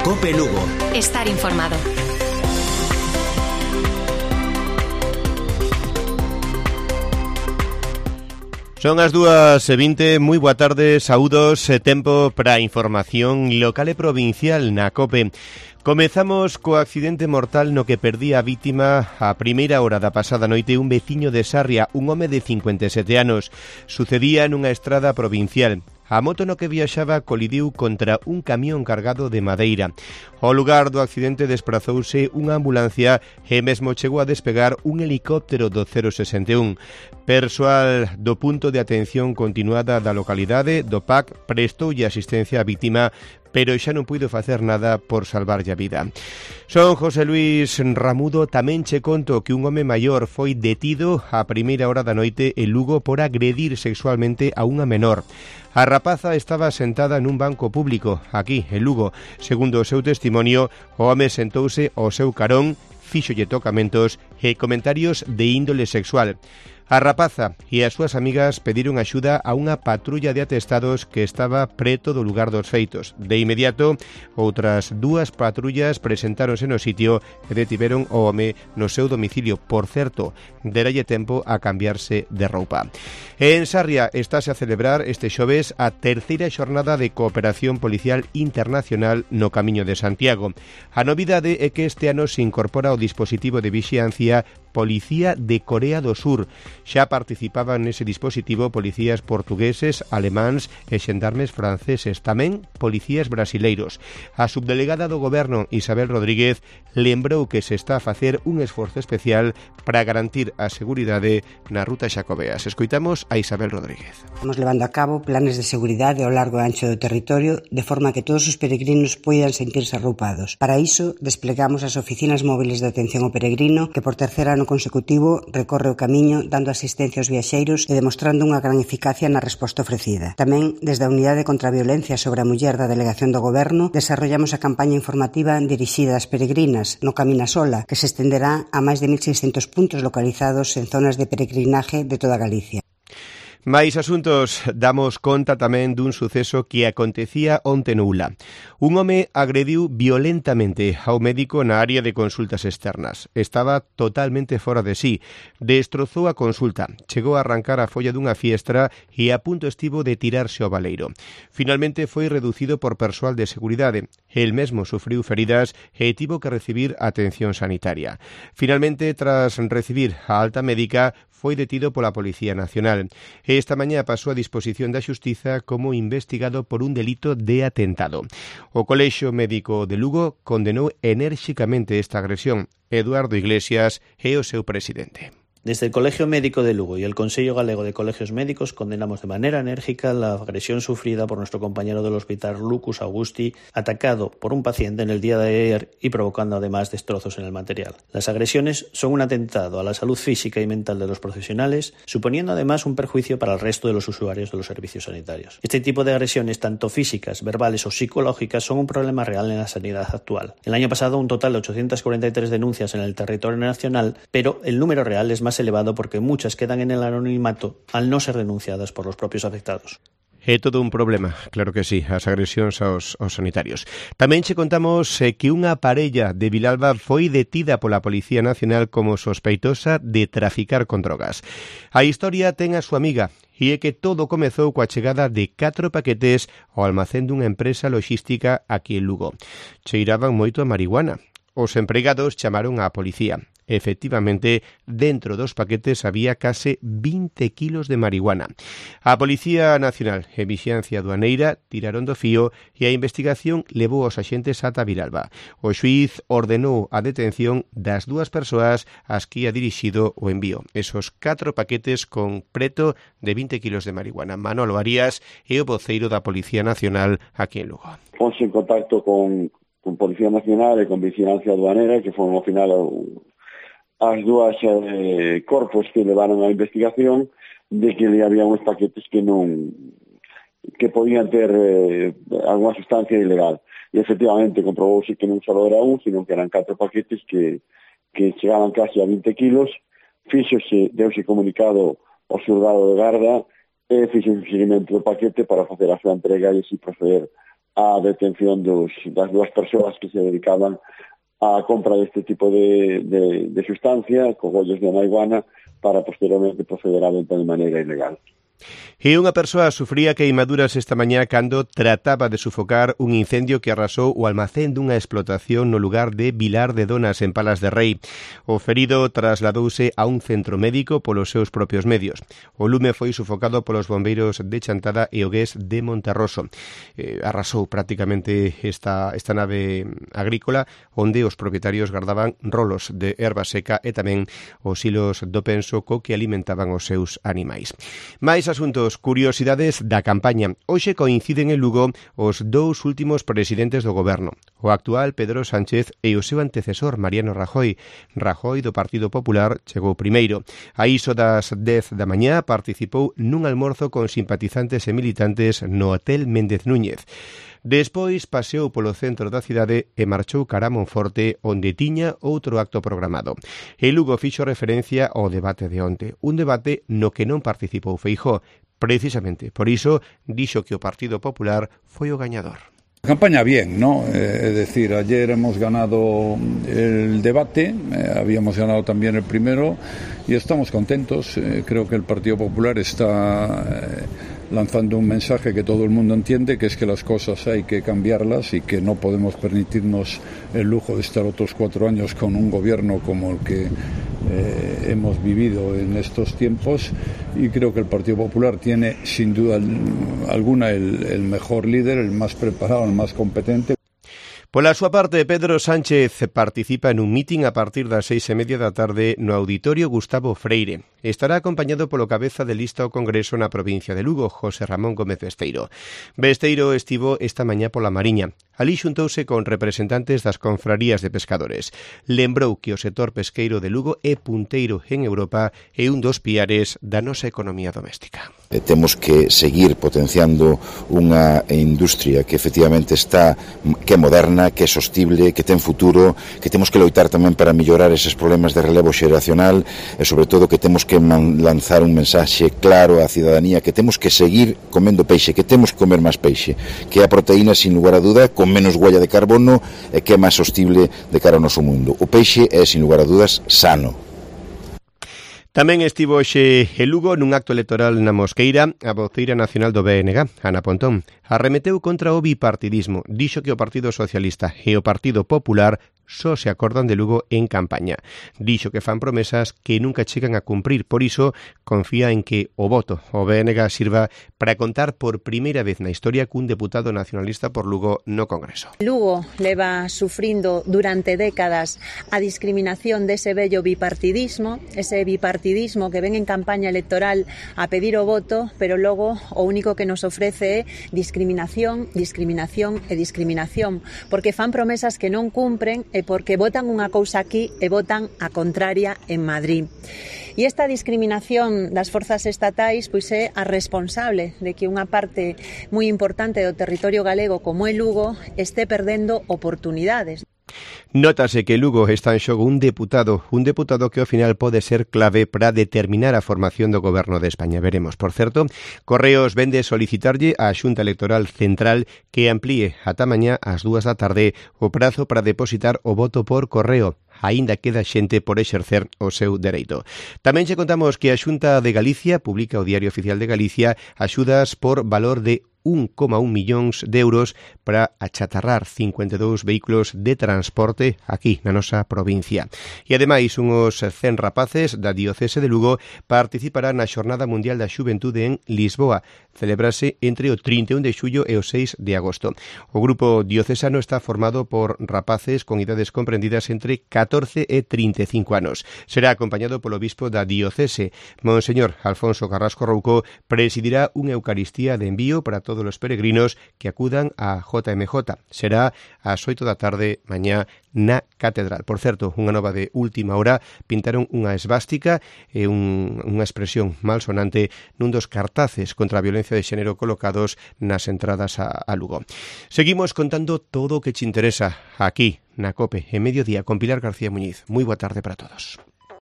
COPE Lugo. Estar informado. Son as 2:20, moi boa tarde, saúdos, tempo para información local e provincial na COPE. Comezamos co accidente mortal no que perdía a vítima a primeira hora da pasada noite un veciño de Sarria, un home de 57 anos. Sucedía nunha estrada provincial. A moto no que viaxaba colidiu contra un camión cargado de madeira. Ao lugar do accidente desprazouse unha ambulancia e mesmo chegou a despegar un helicóptero do 061. Persoal do punto de atención continuada da localidade do PAC prestoulle asistencia á vítima, pero xa non puido facer nada por salvarlle a vida. Son José Luis Ramudo. Tamén che conto que un home maior foi detido a primeira hora da noite en Lugo por agredir sexualmente a unha menor. A rapaza estaba sentada nun banco público, aquí, en Lugo. Segundo o seu testimonio, o home sentouse ao seu carón, fíxolle tocamentos e comentarios de índole sexual. A rapaza e as súas amigas pediron axuda a unha patrulla de atestados que estaba preto do lugar dos feitos. De inmediato, outras dúas patrullas presentáronse no sitio e detiveron o home no seu domicilio. Por certo, deralle tempo a cambiarse de roupa. En Sarria estáse a celebrar este xoves a terceira xornada de cooperación policial internacional no Camiño de Santiago. A novidade é que este ano se incorpora o dispositivo de vixiancia Policía de Corea do Sur. Xa participaban nese dispositivo policías portugueses, alemáns e xendarmes franceses, tamén policías brasileiros. A subdelegada do Goberno, Isabel Rodríguez, lembrou que se está a facer un esforzo especial para garantir a seguridade na ruta Xacobeas. Escoitamos a Isabel Rodríguez. Estamos levando a cabo planes de seguridade ao largo e ancho do territorio de forma que todos os peregrinos poidan sentirse arroupados. Para iso, desplegamos as oficinas móviles de atención ao peregrino que por terceira ano consecutivo recorre o camiño dando asistencia aos viaxeiros e demostrando unha gran eficacia na resposta ofrecida. Tamén, desde a Unidade contra a Violencia sobre a Muller da Delegación do Goberno, desarrollamos a campaña informativa dirixida ás peregrinas no Camina Sola, que se estenderá a máis de 1.600 puntos localizados en zonas de peregrinaje de toda Galicia. Mais asuntos, damos conta tamén dun suceso que acontecía onte no Ula. Un home agrediu violentamente ao médico na área de consultas externas. Estaba totalmente fora de sí. Destrozou a consulta. Chegou a arrancar a folla dunha fiestra e a punto estivo de tirarse ao baleiro. Finalmente foi reducido por persoal de seguridade. El mesmo sufriu feridas e tivo que recibir atención sanitaria. Finalmente, tras recibir a alta médica, foi detido pola Policía Nacional. Esta mañá pasou a disposición da Xustiza como investigado por un delito de atentado. O Colexio Médico de Lugo condenou enérxicamente esta agresión. Eduardo Iglesias é o seu presidente. Desde el Colegio Médico de Lugo y el Consello Galego de Colegios Médicos condenamos de manera enérgica la agresión sufrida por nuestro compañero del hospital Lucas Augusti, atacado por un paciente en el día de ayer y provocando además destrozos en el material. Las agresiones son un atentado a la salud física y mental de los profesionales, suponiendo además un perjuicio para el resto de los usuarios de los servicios sanitarios. Este tipo de agresiones, tanto físicas, verbales o psicológicas, son un problema real en la sanidad actual. El año pasado un total de 843 denuncias en el territorio nacional, pero el número real es más elevado porque muchas quedan en el anonimato al no ser denunciadas por los propios afectados. É todo un problema, claro que sí, as agresións aos sanitarios. Tamén che contamos que unha parella de Vilalba foi detida pola Policía Nacional como sospeitosa de traficar con drogas. A historia ten a súa amiga, e é que todo comezou coa chegada de 4 paquetes ao almacén dunha empresa logística aquí en Lugo. Cheiraban moito a marihuana. Os empregados chamaron á policía. Efectivamente, dentro dos paquetes había case 20 kilos de marihuana. A Policía Nacional e Vixiancia Aduaneira tiraron do fío e a investigación levou os axentes ata Vilalba. O xuíz ordenou a detención das dúas persoas ás que ia dirixido o envío. Esos 4 paquetes con preto de 20 kilos de marihuana. Manolo Arias é o voceiro da Policía Nacional aquí en Lugo. Ponse en contacto con Policía Nacional e con Vixiancia Aduanera, que foron ao final as dúas corpos que levaron a investigación de que había uns paquetes que podían ter alguna sustancia ilegal. E efectivamente comprobouse que non só era un, sino que eran 4 paquetes que chegaban casi a 20 kilos. Deuse comunicado ao xulgado de Garda e fixo un seguimento do paquete para facer a súa entrega e así proceder a detención das dúas persoas que se dedicaban a compra deste tipo de sustancia, cogollos de marihuana, para posteriormente proceder á venta de maneira ilegal. E unha persoa sufría queimaduras esta mañá cando trataba de sufocar un incendio que arrasou o almacén dunha explotación no lugar de Vilar de Donas, en Palas de Rei. O ferido trasladouse a un centro médico polos seus propios medios. O lume foi sufocado polos bombeiros de Chantada e o Gués de Monterroso. Arrasou prácticamente esta nave agrícola onde os propietarios gardaban rolos de erva seca e tamén os hilos do penso co que alimentaban os seus animais. Mais asuntos, curiosidades da campaña. Hoxe coinciden en Lugo os dous últimos presidentes do goberno, o actual Pedro Sánchez e o seu antecesor Mariano Rajoy. Rajoy do Partido Popular chegou primeiro. A iso das 10 da mañá participou nun almorzo con simpatizantes e militantes no Hotel Méndez Núñez. Despois paseou polo centro da cidade e marchou cara a Monforte, onde tiña outro acto programado. E Lugo fixo referencia ao debate de onte, un debate no que non participou Feijóo. Precisamente por iso dixo que o Partido Popular foi o gañador. Campaña bien, ¿no? Es decir, ayer hemos ganado el debate, habíamos ganado también el primero y estamos contentos. Creo que el Partido Popular está lanzando un mensaje que todo el mundo entiende, que es que las cosas hay que cambiarlas y que no podemos permitirnos el lujo de estar otros 4 años con un gobierno como el que hemos vivido en estos tiempos, y creo que el Partido Popular tiene sin duda alguna el mejor líder, el más preparado, el más competente. Pola súa parte, Pedro Sánchez participa en un mitin a partir das 6:30 da tarde no Auditorio Gustavo Freire. Estará acompañado polo cabeza de lista ao Congreso na provincia de Lugo, José Ramón Gómez Besteiro. Besteiro estivo esta mañá pola Mariña. Alí xuntouse con representantes das confrarías de pescadores. Lembrou que o sector pesqueiro de Lugo é punteiro en Europa e un dos piares da nosa economía doméstica. Temos que seguir potenciando unha industria que efectivamente que é moderna, que é sostible, que ten futuro, que temos que loitar tamén para mellorar eses problemas de relevo xeracional e, sobre todo, que temos que lanzar un mensaxe claro á cidadanía, que temos que seguir comendo peixe, que temos que comer máis peixe, que a proteína, sin lugar a duda, con menos huella de carbono e que é máis sostible de cara ao noso mundo. O peixe é, sin lugar a dudas, sano. Tamén estivo hoxe en Lugo nun acto electoral na Mosqueira a voceira nacional do BNG, Ana Pontón. Arremeteu contra o bipartidismo. Dixo que o Partido Socialista e o Partido Popular só se acordan de Lugo en campaña. Dixo que fan promesas que nunca chegan a cumprir, por iso confía en que o voto ao BNG sirva para contar por primeira vez na historia cun deputado nacionalista por Lugo no Congreso. Lugo leva sufrindo durante décadas a discriminación dese vello bipartidismo, ese bipartidismo que ven en campaña electoral a pedir o voto, pero logo o único que nos ofrece é discriminación, discriminación e discriminación, porque fan promesas que non cumpren e porque votan unha cousa aquí e votan a contraria en Madrid. E esta discriminación das forzas estatais pois é a responsable de que unha parte moi importante do territorio galego como é Lugo este perdendo oportunidades. Nótase que Lugo está en xogo un deputado que ao final pode ser clave para determinar a formación do goberno de España. Veremos. Por certo, Correos vende solicitarlle á Xunta Electoral Central que amplíe ata mañá ás 2 da tarde o prazo para depositar o voto por correo. Aínda queda xente por exercer o seu dereito. Tamén che contamos que a Xunta de Galicia publica o Diario Oficial de Galicia axudas por valor de 1,1 millóns de euros para achatarrar 52 vehículos de transporte aquí na nosa provincia. E ademais, uns 100 rapaces da Diocese de Lugo participarán na Xornada Mundial da Xuventude en Lisboa. Celebrase entre o 31 de xullo e o 6 de agosto. O grupo diocesano está formado por rapaces con idades comprendidas entre 14 e 35 anos. Será acompañado polo bispo da Diocese. Monseñor Alfonso Carrasco Rouco presidirá unha Eucaristía de envío para todos os peregrinos que acudan a JMJ. Será ás 8 da tarde mañá na Catedral. Por certo, unha nova de última hora, pintaron unha esvástica e unha expresión malsonante nun dos cartaces contra a violencia de xénero colocados nas entradas a Lugo. Seguimos contando todo o que te interesa aquí na COPE en Mediodía con Pilar García Muñiz. Moi boa tarde para todos.